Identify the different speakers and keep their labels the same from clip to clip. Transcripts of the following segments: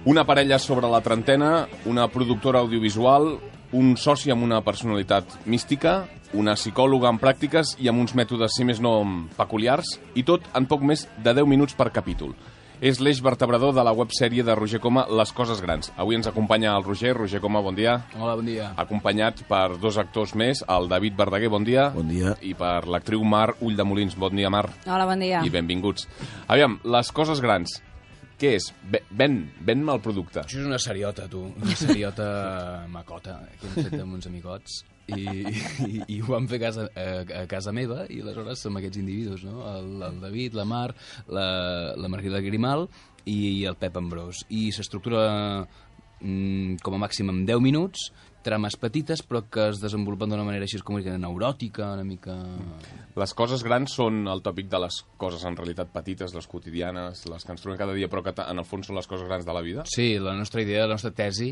Speaker 1: Una parella sobre la trentena, una productora audiovisual, un soci amb una personalitat mística, una psicòloga en pràctiques i amb uns mètodes, si més no, peculiars, i tot en poc més de 10 minuts per capítol. És l'eix vertebrador de la websèrie de Roger Coma, Les coses grans. Avui ens acompanya el Roger. Roger Coma, bon dia.
Speaker 2: Hola, bon dia.
Speaker 1: Acompanyat per dos actors més, el David Verdaguer, bon dia.
Speaker 3: Bon dia.
Speaker 1: I per l'actriu Mar Ulldemolins. Bon dia, Mar.
Speaker 4: Hola, bon dia.
Speaker 1: I benvinguts. Aviam, Les coses grans. Què és? Ven-me el producte.
Speaker 2: Això és una seriota, tu. Una seriota macota que hem fet amb uns amigots i ho vam fer a casa meva i aleshores som aquests individus, no? El David, la Mar, la Margarida Grimal i el Pep Ambrós. I s'estructura com a màxim en 10 minuts, trames petites però que es desenvolupen d'una manera així com una mica neuròtica, una mica...
Speaker 1: Les coses grans són el tòpic de les coses en realitat petites, les quotidianes, les que ens trobem cada dia, però que en el fons són les coses grans de la vida?
Speaker 2: Sí, la nostra idea, la nostra tesi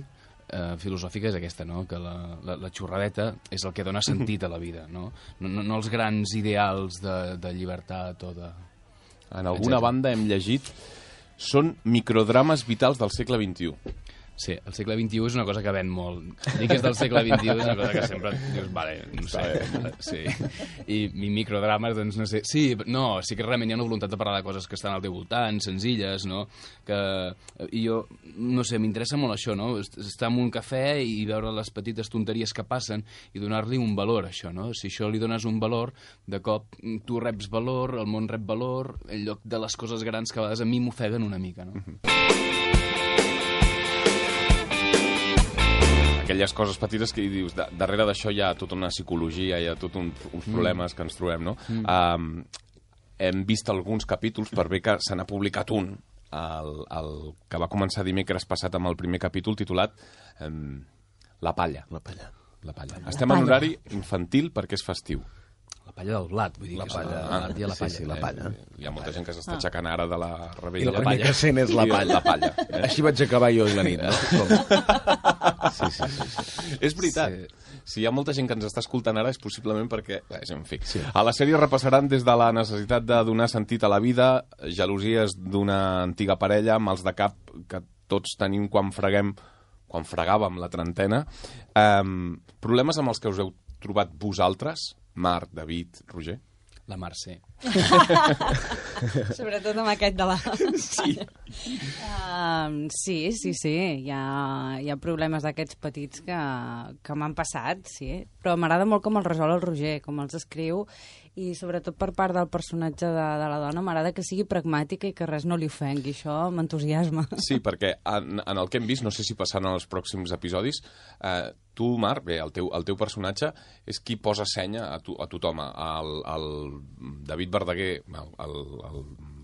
Speaker 2: filosòfica és aquesta, no? Que la xorradeta és el que dona sentit a la vida, no els grans ideals de llibertat o de...
Speaker 1: En alguna banda hem llegit són microdrames vitals del segle XXI.
Speaker 2: Sí, el segle XXI és una cosa que ven molt. Dir que és del segle XXI és una cosa que sempre dius, vale, no sé. Sí. I microdrames, doncs no sé. Sí que realment hi ha una voluntat de parlar de coses que estan al teu voltant, senzilles, no? I jo, no sé, m'interessa molt això, no? Estar en un cafè i veure les petites tonteries que passen i donar-li un valor a això, no? Si això li dones un valor, de cop tu reps valor, el món rep valor, en lloc de les coses grans que a vegades a mi m'ofeguen una mica, no?
Speaker 1: Aquelles coses petites que dius, darrere d'això hi ha tota una psicologia, hi ha tots uns problemes que ens trobem, no? Hem vist alguns capítols, per bé que se n'ha publicat un, el que va començar dimecres passat amb el primer capítol titulat La palla.
Speaker 3: La palla.
Speaker 1: Estem en horari infantil perquè és festiu.
Speaker 2: La palla del blat, vull dir.
Speaker 3: La palla.
Speaker 2: La palla.
Speaker 3: Sí, la palla.
Speaker 1: Hi ha molta gent que s'està aixecant ara de la rebella.
Speaker 3: I el primer que sent és la palla.
Speaker 1: La palla.
Speaker 3: Així vaig acabar jo la nit, no? Sí.
Speaker 1: És veritat. Si hi ha molta gent que ens està escoltant ara és possiblement perquè... En fi. Sí. A la sèrie repassaran des de la necessitat de donar sentit a la vida, gelosies d'una antiga parella, mals de cap que tots tenim quan fregàvem la trentena, problemes amb els que us heu trobat vosaltres, Marc, David, Roger?
Speaker 2: La Mercè.
Speaker 4: Sobretot amb aquest de la...
Speaker 1: Sí.
Speaker 4: Sí. Hi ha problemes d'aquests petits que m'han passat, sí. Però m'agrada molt com els resol el Roger, com els escriu, i sobretot per part del personatge de la dona m'agrada que sigui pragmàtica i que res no li ofengui. Això m'entusiasma.
Speaker 1: Sí, perquè en el que hem vist, no sé si passaran els pròxims episodis, tu, Marc, bé, el teu personatge és qui posa senya a tothom. El David Verdaguer, el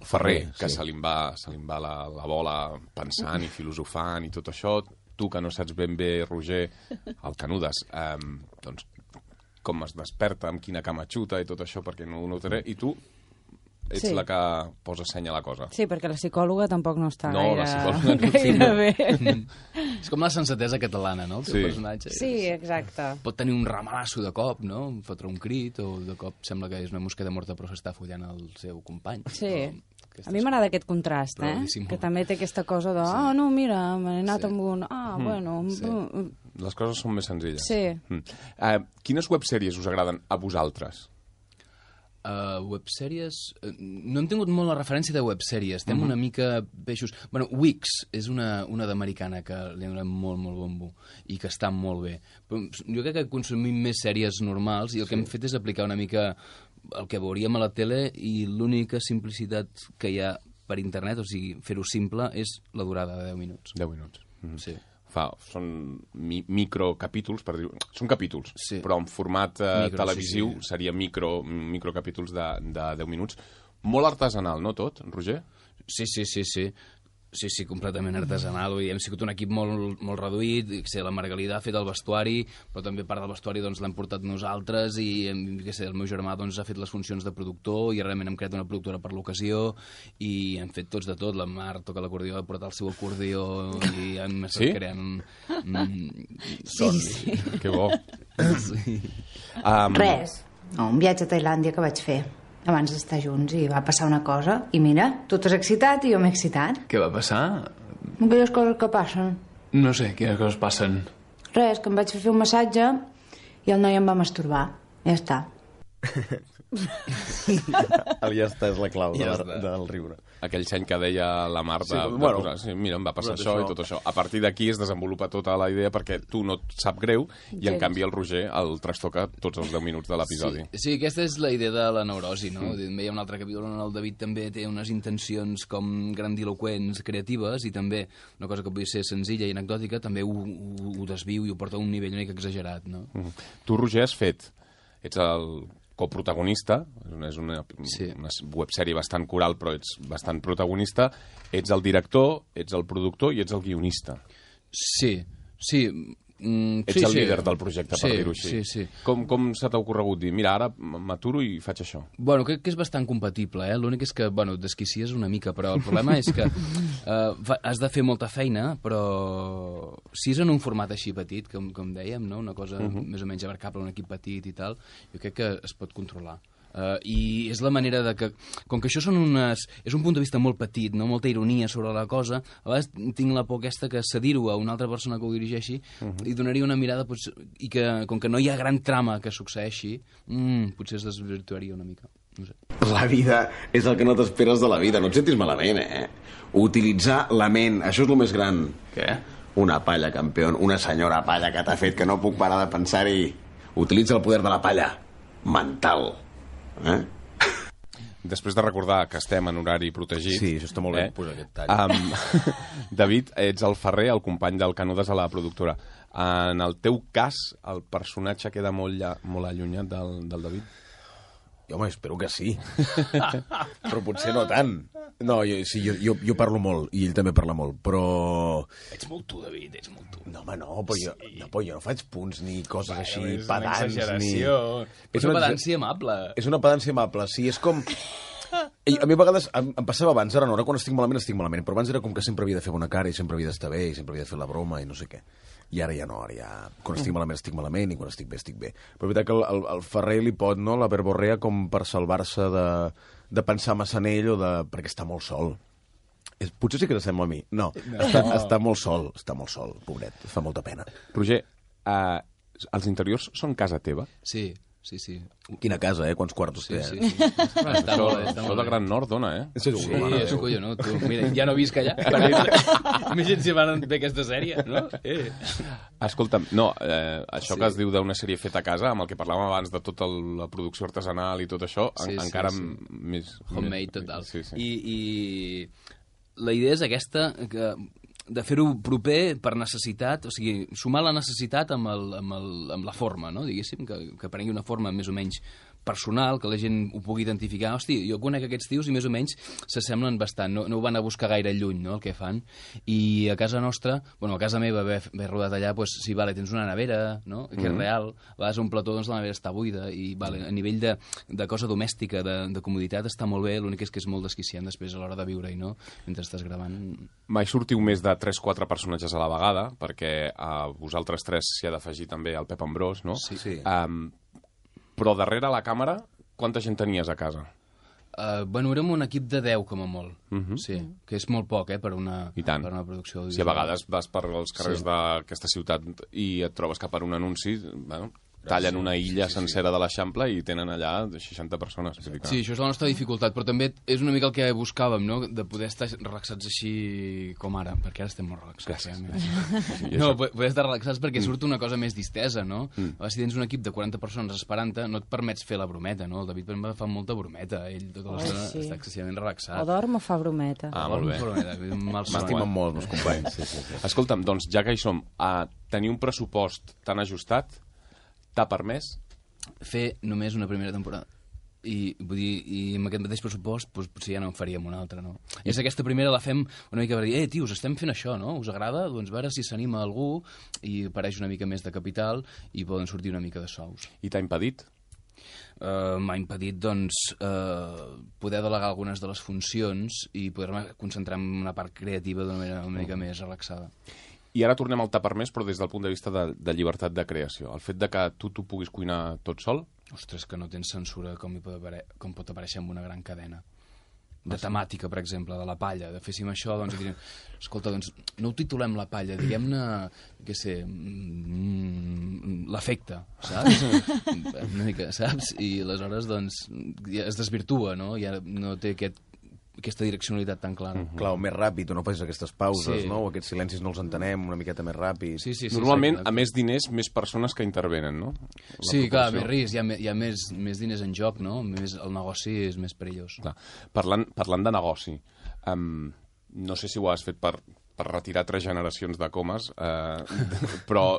Speaker 1: Ferrer, que se li va la bola pensant i filosofant i tot això. Tu, que no saps ben bé, Roger, el Canudes, doncs com es desperta, amb quina cama xuta i tot això, perquè no ho notaré. I tu ets la que posa senya a la cosa.
Speaker 4: Sí, perquè la psicòloga tampoc no està
Speaker 1: gaire
Speaker 4: bé.
Speaker 2: És com la sensatesa catalana, no? El teu personatge.
Speaker 4: Sí, exacte.
Speaker 2: Pot tenir un ramalasso de cop, no? Fotre un crit, o de cop sembla que és una mosqueta morta però s'està follant el seu company.
Speaker 4: Sí. A mi m'agrada aquest contrast, que també té aquesta cosa de no, mira, m'he anat amb un... bueno...
Speaker 1: Les coses són més senzilles.
Speaker 4: Sí.
Speaker 1: Quines websèries us agraden a vosaltres?
Speaker 2: Websèries... No hem tingut molt la referència de websèries. Estem una mica peixos... Bueno, Wix és una d'americana que li ha donat molt bombo i que està molt bé. Però jo crec que consumim més sèries normals i el que hem fet és aplicar una mica el que veuríem a la tele i l'única simplicitat que hi ha per internet, o sigui, fer-ho simple, és la durada de 10 minuts.
Speaker 1: 10 minuts.
Speaker 2: Sí.
Speaker 1: Són microcapítols, per dir... Són capítols, però en format televisiu seria microcapítols de 10 minuts. Molt artesanal, no tot, Roger?
Speaker 2: Sí. Sí, completament artesanal. Hem sigut un equip molt reduït. La Margalida ha fet el vestuari, però també part del vestuari l'hem portat nosaltres i el meu germà ha fet les funcions de productor i realment hem creat una productora per l'ocasió i hem fet tots de tot. La Mar toca l'acordió, ha portat el seu acordió i hem estat creant...
Speaker 4: Sí.
Speaker 1: Que bo.
Speaker 5: Res. Un viatge a Tailàndia que vaig fer abans d'estar junts i va passar una cosa i mira, tu t'has excitat i jo m'he excitat.
Speaker 2: Què va passar?
Speaker 5: Aquelles coses que passen.
Speaker 2: No sé, quines coses passen.
Speaker 5: Res, que em vaig fer un massatge i el noi em va masturbar. Ja està.
Speaker 3: El ja està és la clau
Speaker 2: Ja
Speaker 3: del riure.
Speaker 1: Aquell seny que deia la Mar de,
Speaker 3: Sí,
Speaker 1: de
Speaker 3: bueno,
Speaker 1: posar, sí, mira, em va passar
Speaker 3: tot
Speaker 1: això i
Speaker 3: això.
Speaker 1: tot això. A partir d'aquí es desenvolupa tota la idea perquè tu no et sap greu i en
Speaker 4: Gens.
Speaker 1: canvi el Roger el trastoca tots els 10 minuts de l'episodi.
Speaker 2: Sí, aquesta és la idea de la neurosi, no? També hi ha un altre capítol on el David també té unes intencions com grandiloquents, creatives, i també una cosa que pugui ser senzilla i anecdòtica, també ho desviu i ho porta a un nivell una mica exagerat, no?
Speaker 1: Tu, Roger, ets el coprotagonista, és una
Speaker 2: Sí.
Speaker 1: websèrie bastant coral, però ets bastant protagonista, ets el director, ets el productor i ets el guionista.
Speaker 2: Sí.
Speaker 1: Ets el líder del projecte, per dir-ho així.
Speaker 2: Sí.
Speaker 1: Com se t'ha ocorregut dir, mira, ara m'aturo i faig això?
Speaker 2: Bueno, crec que és bastant compatible, eh? L'únic és que, bueno, desquicies una mica, però el problema és que has de fer molta feina, però si és en un format així petit, com dèiem, no? Una cosa més o menys abarcable, un equip petit i tal, jo crec que es pot controlar. I és la manera de que, com que això és un punt de vista molt petit, no? Molta ironia sobre la cosa, a vegades tinc la por aquesta que cedir-ho a una altra persona que ho dirigeixi i donaria una mirada, i que com que no hi ha gran trama que succeeixi, potser es desvirtuaria una mica. No sé.
Speaker 3: La vida és el que no t'esperes de la vida. No et sentis malament, Utilitzar la ment, això és el més gran.
Speaker 2: Què?
Speaker 3: Una palla, campió, una senyora palla que t'ha fet que no puc parar de pensar-hi. Utilitza el poder de la palla. Mental.
Speaker 1: Després de recordar que estem en horari protegit...
Speaker 3: Sí, això està molt bé, posar aquest tall.
Speaker 1: David, ets el Ferrer, el company del Canudes a la productora. En el teu cas, el personatge queda molt allunyat del David?
Speaker 3: Home, espero que sí. Però potser no tant. No, jo parlo molt, i ell també parla molt, però...
Speaker 2: Ets molt tu, David, ets molt tu.
Speaker 3: No, home, no, però jo no faig punts ni coses així,
Speaker 2: És
Speaker 3: pedants,
Speaker 2: una exageració. És una pedància amable.
Speaker 3: És una pedància amable, sí, és com... A mi a vegades em passava abans, ara no, ara quan estic malament, però abans era com que sempre havia de fer bona cara i sempre havia d'estar bé i sempre havia de fer la broma i no sé què. I ara ja no, quan estic malament i quan estic bé, estic bé. Però és veritat que el Ferrer li pot, no?, la verborrea com per salvar-se de pensar massa en ell perquè està molt sol. Potser sí que s'assembla a mi. No. Està molt sol, pobret, fa molta pena.
Speaker 1: Roger, els interiors són casa teva?
Speaker 2: Sí.
Speaker 3: Quina casa, quants quartos té?
Speaker 2: Sí. Està molt bé.
Speaker 1: Això de Gran Nord dona,
Speaker 2: Sí, és collonut, tu. Mira, ja no visc allà. Imagina't si van fer aquesta sèrie, no?
Speaker 1: Escolta'm, això que es diu d'una sèrie feta a casa, amb el que parlàvem abans de tota la producció artesanal i tot això, encara més...
Speaker 2: Homemade, total.
Speaker 1: Sí.
Speaker 2: I la idea és aquesta, de fer-ho proper per necessitat, o sigui, sumar la necessitat amb la forma, no? Diguéssim, que prengui una forma més o menys personal, que la gent ho pugui identificar. Hosti, jo conec aquests tios i més o menys s'assemblen bastant, no ho van a buscar gaire lluny, no?, el que fan. I a casa nostra, a casa meva, haver rodat allà, doncs sí, vale, tens una nevera, no?, que és real, a vegades un plató, doncs la nevera està buida, i vale, a nivell de cosa domèstica, de comoditat, està molt bé, l'únic és que és molt desquiciant després a l'hora de viure-hi, no?, mentre estàs gravant.
Speaker 1: Mai sortiu més de 3-4 personatges a la vegada, perquè a vosaltres tres s'hi ha d'afegir també el Pep Ambrós, no?
Speaker 3: Sí.
Speaker 1: Però darrere la càmera, quanta gent tenies a casa?
Speaker 2: Érem un equip de 10, com a molt. Sí, que és molt poc, per una producció audiovisual.
Speaker 1: Si a vegades vas per els carrers d'aquesta ciutat i et trobes que per un anunci... tallen una illa sencera de l'Eixample i tenen allà 60 persones.
Speaker 2: Sí, això és la nostra dificultat, però també és una mica el que buscàvem, no?, de poder estar relaxats així com ara, perquè ara estem molt relaxats. No, poder estar relaxats perquè surt una cosa més distesa, no? Si tens un equip de 40 persones esperant-te, no et permets fer la brometa, no? El David fa molta brometa, ell tota l'estona està excessivament relaxat.
Speaker 4: O dorm o fa brometa.
Speaker 1: Molt bé.
Speaker 3: M'estimen molt, meus companys.
Speaker 1: Escolta'm, doncs, ja que hi som, tenir un pressupost tan ajustat t'ha permès
Speaker 2: fer només una primera temporada. I vull dir, amb aquest mateix pressupost potser ja no en faríem una altra, no? És aquesta primera la fem una mica per dir, tios, estem fent això, no? Us agrada? Doncs a veure si s'anima algú i apareix una mica més de capital i poden sortir una mica de sous.
Speaker 1: I t'ha impedit?
Speaker 2: M'ha impedit, doncs, poder delegar algunes de les funcions i poder-me concentrar en una part creativa d'una manera una mica més relaxada.
Speaker 1: I ara tornem al t'ha permès, però des del punt de vista de llibertat de creació. El fet de que tu puguis cuinar tot sol?
Speaker 2: Ostres, que no tens censura com pot aparèixer en una gran cadena. de temàtica, per exemple, de la palla, de féssim això, doncs, i direm, escolta, doncs, no ho titulem la palla, diguem-ne, què sé, l'efecte, saps? Una mica, saps? I aleshores, doncs, ja es desvirtua, no? Ja no té aquesta direccionalitat tan clara.
Speaker 3: Clar, o més ràpid, o no facis aquestes pauses, no? O aquests silencis no els entenem una miqueta més ràpid.
Speaker 2: Sí,
Speaker 1: Normalment, a més diners, més persones que intervenen, no?
Speaker 2: Sí, clar, més risc, hi ha més diners en joc, no? El negoci és més perillós.
Speaker 1: Clar. Parlant de negoci, no sé si ho has fet per retirar 3 generacions de comes, però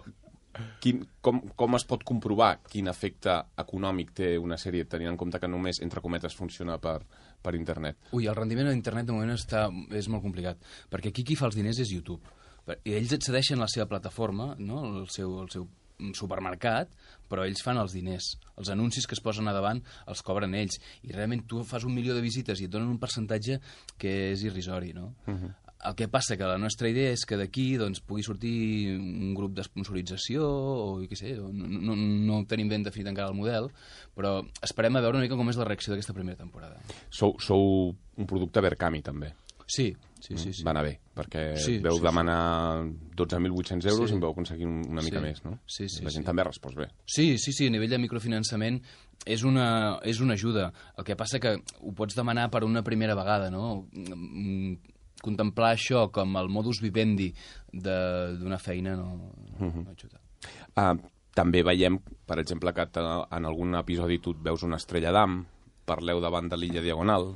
Speaker 1: com es pot comprovar quin efecte econòmic té una sèrie, tenint en compte que només, entre cometes, funciona per internet?
Speaker 2: Ui, el rendiment a internet de moment és molt complicat, perquè aquí qui fa els diners és YouTube. I ells et cedeixen la seva plataforma, no? el seu supermercat, però ells fan els diners. Els anuncis que es posen a davant els cobren ells. I realment tu fas 1 milió de visites i et donen un percentatge que és irrisori, no? El que passa que la nostra idea és que d'aquí doncs, pugui sortir un grup d'esponsorització o què sé, no tenim ben definit encara el model, però esperem a veure una mica com és la reacció d'aquesta primera temporada.
Speaker 1: Sou un producte Verkami, també.
Speaker 2: Sí.
Speaker 1: Va anar bé, perquè veu demanar 12.800 euros i en veu aconseguir una mica més, no?
Speaker 2: Sí.
Speaker 1: La gent també ha respost bé.
Speaker 2: Sí, a nivell de microfinançament és una ajuda. El que passa que ho pots demanar per una primera vegada, no? Contemplar això com el modus vivendi d'una feina no ajuda.
Speaker 1: També veiem, per exemple, que en algun episodi tu et veus una estrella d'am, parleu davant de l'illa Diagonal,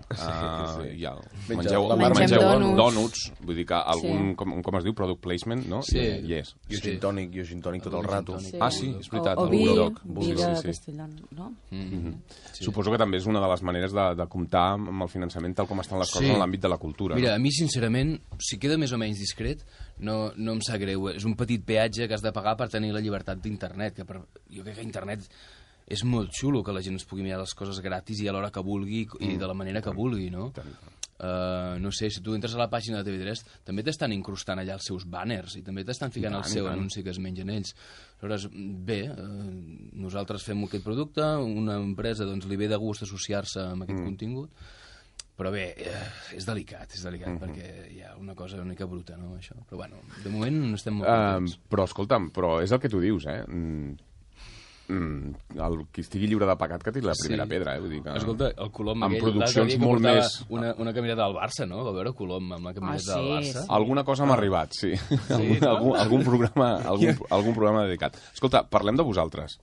Speaker 1: mengeu dònuts, vull dir que algun, com es diu, product placement, no?
Speaker 2: Sí.
Speaker 3: I o gin tònic tot el rato.
Speaker 1: Ah, sí, és veritat.
Speaker 4: O vi de Castellón, no?
Speaker 1: Suposo que també és una de les maneres de comptar amb el finançament tal com estan les coses en l'àmbit de la cultura.
Speaker 2: Mira, a mi, sincerament, si queda més o menys discret, no em sap greu. És un petit peatge que has de pagar per tenir la llibertat d'internet. Jo crec que internet és molt xulo que la gent es pugui mirar les coses gratis i a l'hora que vulgui i de la manera que vulgui, no? No sé, si tu entres a la pàgina de TV3 també t'estan incrustant allà els seus banners i també t'estan ficant el seu anunci que es mengen ells. Aleshores, bé, nosaltres fem aquest producte, una empresa doncs, li ve de gust associar-se amb aquest contingut, però bé, és delicat perquè hi ha una cosa una mica bruta, no, això. Però bueno, de moment no estem molt contents.
Speaker 1: Però escolta'm, és el que tu dius, el qui estigui lliure de pecat que tiri la primera pedra, vull dir que...
Speaker 2: Escolta, el Colom
Speaker 1: amb
Speaker 2: aquell,
Speaker 1: produccions molt més...
Speaker 2: Una caminata del Barça, no? Va veure Colom amb la caminata del Barça.
Speaker 1: Alguna cosa m'ha arribat, sí. Algun programa dedicat. Escolta, parlem de vosaltres.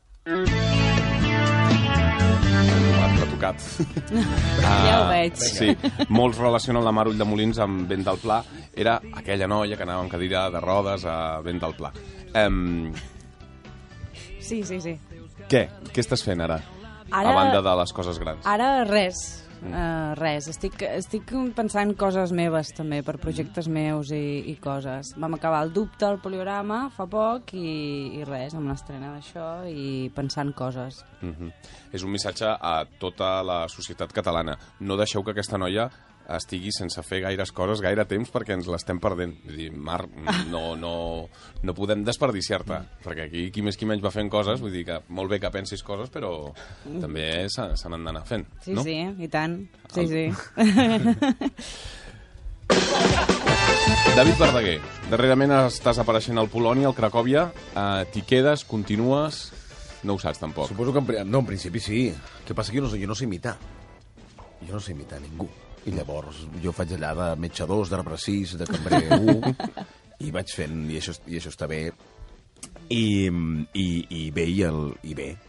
Speaker 1: L'ha tocat.
Speaker 4: Ja ho veig.
Speaker 1: Sí, molts relacionen la Mar Ulldemolins amb Vent del Pla. Era aquella noia que anava amb cadira de rodes a Vent del Pla.
Speaker 4: Sí.
Speaker 1: Què estàs fent ara? A banda de les coses grans.
Speaker 4: Ara res. Estic pensant coses meves també, per projectes meus i coses. Vam acabar el dubte al Poliorama fa poc i res, amb l'estrena d'això i pensant coses.
Speaker 1: És un missatge a tota la societat catalana. No deixeu que aquesta noia estigui sense fer gaires coses, gaire temps, perquè ens l'estem perdent. Vull dir, Mar, no podem desperdiciar-te, perquè aquí qui més qui menys va fent coses, vull dir que molt bé que pensis coses, però també se n'han d'anar fent, no?
Speaker 4: Sí, i tant. Sí.
Speaker 1: David Verdaguer, darrerament estàs apareixent al Polònia, al Cracòvia, t'hi quedes, continues... No ho saps, tampoc.
Speaker 3: Suposo que en principi sí. El que passa que jo no sé imitar. Jo no sé imitar ningú. I llavors jo faig allà de metge 2, de repressís, de cambrer 1, i vaig fent, i això està bé. I bé,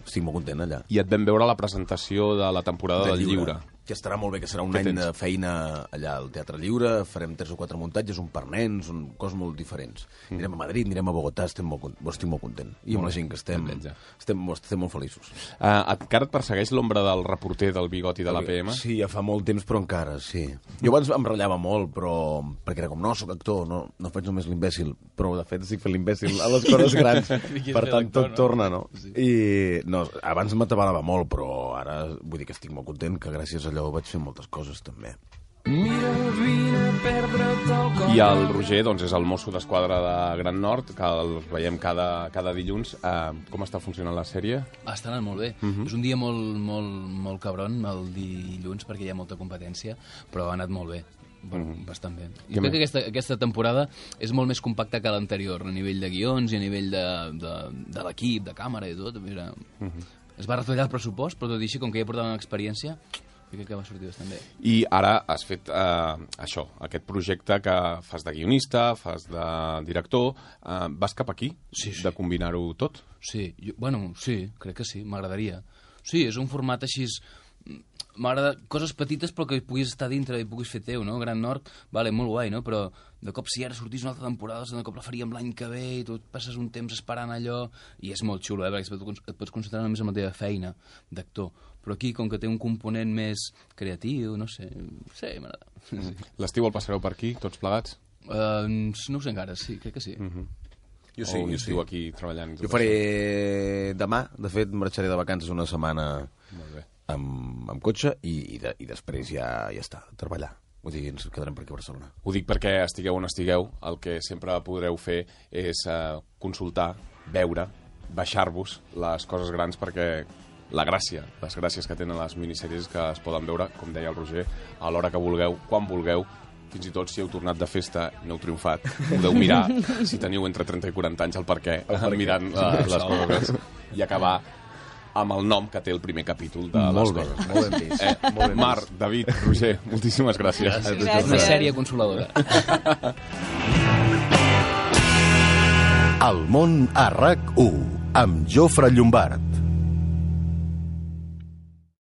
Speaker 3: estic molt content allà.
Speaker 1: I et vam veure a la presentació de la temporada del Lliure.
Speaker 3: Que estarà molt bé, que serà un any de feina allà al Teatre Lliure, farem 3 o 4 muntatges, un per nens, coses molt diferents. Anirem a Madrid, anirem a Bogotà, estic molt content. I amb la gent que estem molt feliços.
Speaker 1: Encara et persegueix l'ombra del reporter del Bigoti de l'APM?
Speaker 3: Sí, ja fa molt temps, però encara, sí. Jo abans em ratllava molt, però perquè era com, no, soc actor, no faig només l'imbècil, però de fet estic fent l'imbècil a les coses grans, per tant tot torna, no? I abans m'atabalava molt, però ara vull dir que estic molt content, que gràcies a allò vaig fer moltes coses també.
Speaker 6: Mira, vine,
Speaker 1: I el Roger doncs, és el mosso d'esquadra de Gran Nord, que el veiem cada dilluns. Com està funcionant la sèrie?
Speaker 2: Està anant molt bé. És un dia molt cabron, el dilluns, perquè hi ha molta competència, però ha anat molt bé. Bueno, bastant bé. I crec que aquesta temporada és molt més compacta que l'anterior, a nivell de guions i a nivell de l'equip, de càmera i tot. Mira, es va retallar el pressupost, però tot i així, com que ja portàvem experiència, crec que va sortir bastant bé.
Speaker 1: I ara has fet això, aquest projecte que fas de guionista, fas de director. Vas cap aquí,
Speaker 2: Sí.
Speaker 1: de combinar-ho tot?
Speaker 2: Sí, sí, crec que sí, m'agradaria. Sí, és un format així... M'agrada coses petites però que puguis estar dintre i puguis fer teu, no? Gran Nord, vale, molt guai, no? Però de cop si ara sortís una altra temporada, de cop la faríem l'any que ve i tu passes un temps esperant allò i és molt xulo, perquè et pots concentrar només en la teva feina d'actor. Però aquí, com que té un component més creatiu, no sé, m'agrada. Sí.
Speaker 1: L'estiu el passareu per aquí, tots plegats?
Speaker 2: No ho sé encara, sí, crec que sí.
Speaker 3: Jo sí,
Speaker 1: o
Speaker 3: jo
Speaker 1: estiu
Speaker 3: sí.
Speaker 1: aquí treballant?
Speaker 3: Jo faré demà, de fet, marxaré de vacances una setmana
Speaker 1: Molt bé.
Speaker 3: amb cotxe i després ja està, a treballar. Vull dir, ens quedarem per aquí a Barcelona.
Speaker 1: Ho dic perquè estigueu on estigueu, el que sempre podreu fer és consultar, veure, baixar-vos les coses grans perquè les gràcies que tenen les minissèries que es poden veure, com deia el Roger, a l'hora que vulgueu, quan vulgueu, fins i tot si heu tornat de festa i no heu triomfat, podeu mirar, si teniu entre 30 i 40 anys, el perquè, mirant les coses i acabar amb el nom que té el primer capítol de les coses.
Speaker 3: Molt ben vist.
Speaker 1: Mar, David, Roger, moltíssimes gràcies.
Speaker 4: Gràcies.
Speaker 2: Una sèrie consoladora.
Speaker 6: El món a RAC1 amb Jofre Llombard.